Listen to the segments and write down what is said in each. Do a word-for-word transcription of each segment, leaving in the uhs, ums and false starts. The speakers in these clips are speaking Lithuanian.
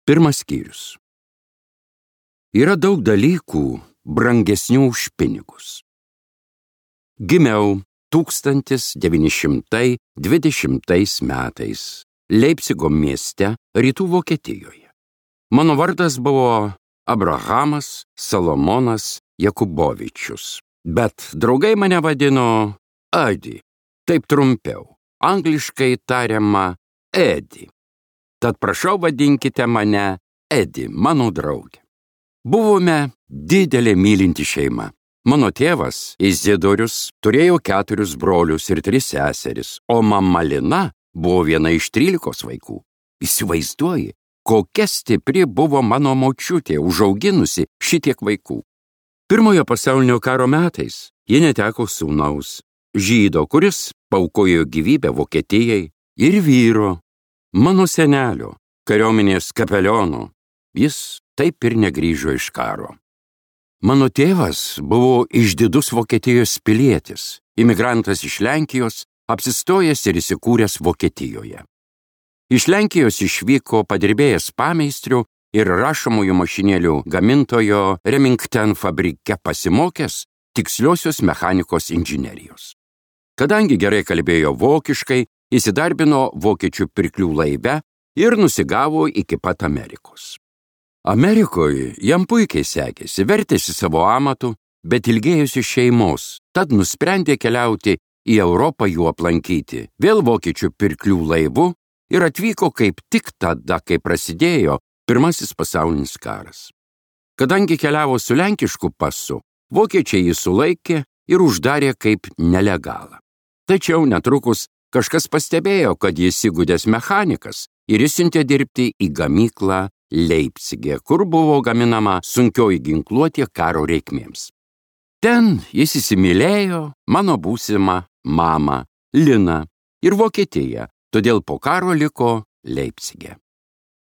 Pirmas skyrius. Yra daug dalykų brangesnių už pinigus. Gimiau tūkstantis devyni šimtai dvidešimtais metais Leipcigo mieste, rytų Vokietijoje. Mano vardas buvo Abrahamas Salomonas Jakubovičius, bet draugai mane vadino Adi, taip trumpiau, angliškai tariama Edi. Tad prašau vadinkite mane Edi, mano draugė. Buvome didelė mylinti šeima. Mano tėvas, Izidorius, turėjo keturis brolius ir tris seseris, o mama Lina buvo viena iš trylikos vaikų. Įsivaizduoji, kokia stipri buvo mano močiutė, užauginusi šitiek vaikų. Pirmojo pasaulinio karo metais ji neteko sūnaus, žydo, kuris paaukojo gyvybę Vokietijai, ir vyro, mano senelio, kariuomenės kapeliono. Jis taip ir negrįžo iš karo. Mano tėvas buvo išdidus Vokietijos pilietis, imigrantas iš Lenkijos, apsistojęs ir įsikūręs Vokietijoje. Iš Lenkijos išvyko padirbėjęs pameistriu ir rašomųjų mašinėlių gamintojo Remington fabrike pasimokęs tiksliosios mechanikos inžinerijos. Kadangi gerai kalbėjo vokiškai, įsidarbino vokiečių pirklių laive ir nusigavo iki pat Amerikos. Amerikoje jam puikiai sekėsi, vertėsi savo amatu, bet ilgėjosi šeimos, tad nusprendė keliauti į Europą jų aplankyti, vėl vokiečių pirklių laivu, ir atvyko kaip tik tada, kai prasidėjo Pirmasis pasaulinis karas. Kadangi keliavo su lenkišku pasu, vokiečiai jį sulaikė ir uždarė kaip nelegalą. Tačiau netrukus kažkas pastebėjo, kad jis įgudęs mechanikas ir išsiuntė dirbti į gamyklą Leipcige, kur buvo gaminama sunkioji ginkluotė karo reikmėms. Ten jis įsimylėjo mano būsimą mamą, Liną, ir Vokietiją, todėl po karo liko Leipcige.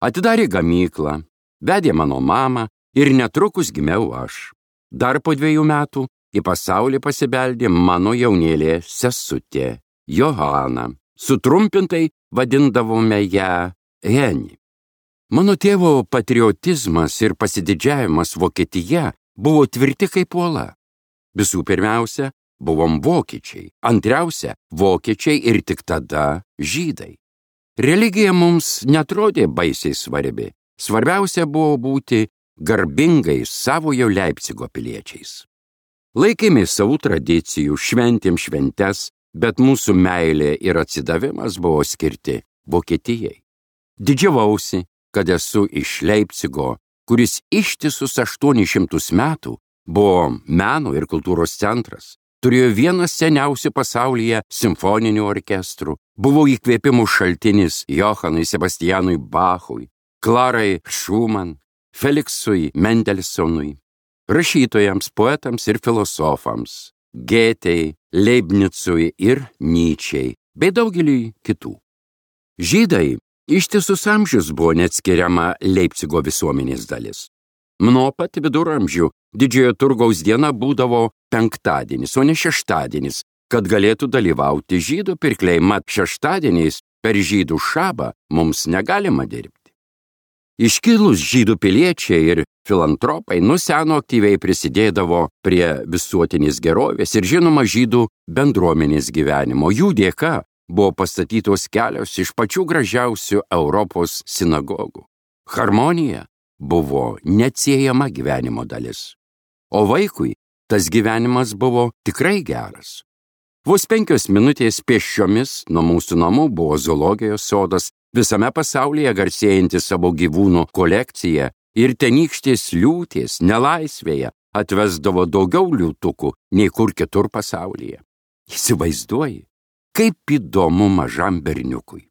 Atidarė gamyklą, vedė mano mamą ir netrukus gimiau aš. Dar po dviejų metų į pasaulį pasibeldė mano jaunėlė sesutė, Johana. Sutrumpintai vadindavome ją Heni. Mano tėvo patriotizmas ir pasididžiavimas Vokietija buvo tvirti kaip uola. Visų pirmiausia, buvom vokiečiai, antriausia, vokiečiai ir tik tada žydai. Religija mums netrodė baisiai svarbi. Svarbiausia buvo būti garbingais savojo Leipcigo piliečiais. Laikėmės savų tradicijų, šventėm šventes, bet mūsų meilė ir atsidavimas buvo skirti Vokietijai. Didžiavausi, kad esu iš Leipcigo, kuris ištisus aštuonis šimtus metų buvo meno ir kultūros centras, turėjo vieną seniausių pasaulyje simfoninių orkestrų, buvo įkvėpimų šaltinis Johanui Sebastianui Bachui, Klarai Schumann, Feliksui Mendelsonui, rašytojams, poetams ir filosofams, Gėtei, Leibnicui ir Nyčei, bei daugeliui kitų. Žydai ištisus amžius buvo neatskiriama Leipcigo visuomenės dalis. Nuo pat viduramžių didžiojo turgaus diena būdavo penktadienis, o ne šeštadienis, kad galėtų dalyvauti žydų pirkliai, mat šeštadieniais per žydų šabą mums negalima dirbti. Iškilus žydų piliečiai ir filantropai nuo seno aktyviai prisidėdavo prie visuotinės gerovės ir žinoma žydų bendruomenės gyvenimo. Jų dėka buvo pastatytos kelios iš pačių gražiausių Europos sinagogų. Harmonija buvo neatsiejama gyvenimo dalis. O vaikui tas gyvenimas buvo tikrai geras. Vos penkios minutės pėsčiomis nuo mūsų namų buvo zoologijos sodas, visame pasaulyje garsėjanti savo gyvūnų kolekcija, ir tenykštės liūtės nelaisvėje atvesdavo daugiau liūtukų nei kur kitur pasaulyje. Įsivaizduoji, kaip įdomu mažam berniukui.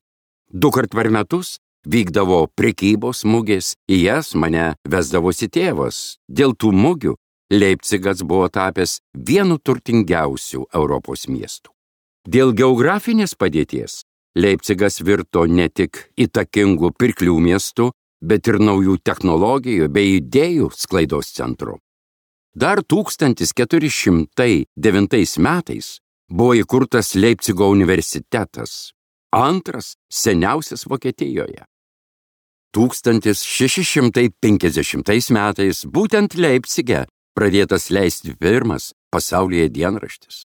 Dukart per metus vykdavo prekybos mugės, į jas mane vesdavosi tėvas. Dėl tų mugių Leipcigas buvo tapęs vienu turtingiausių Europos miestų. Dėl geografinės padėties Leipcigas virto ne tik įtakingų pirklių miestų, bet ir naujų technologijų bei idėjų sklaidos centru. Dar tūkstantis keturi šimtai devintais metais buvo įkurtas Leipcigo universitetas, antras seniausias Vokietijoje. tūkstantis šeši šimtai penkiasdešimtais metais būtent Leipcige pradėtas leisti pirmas pasaulyje dienraštis.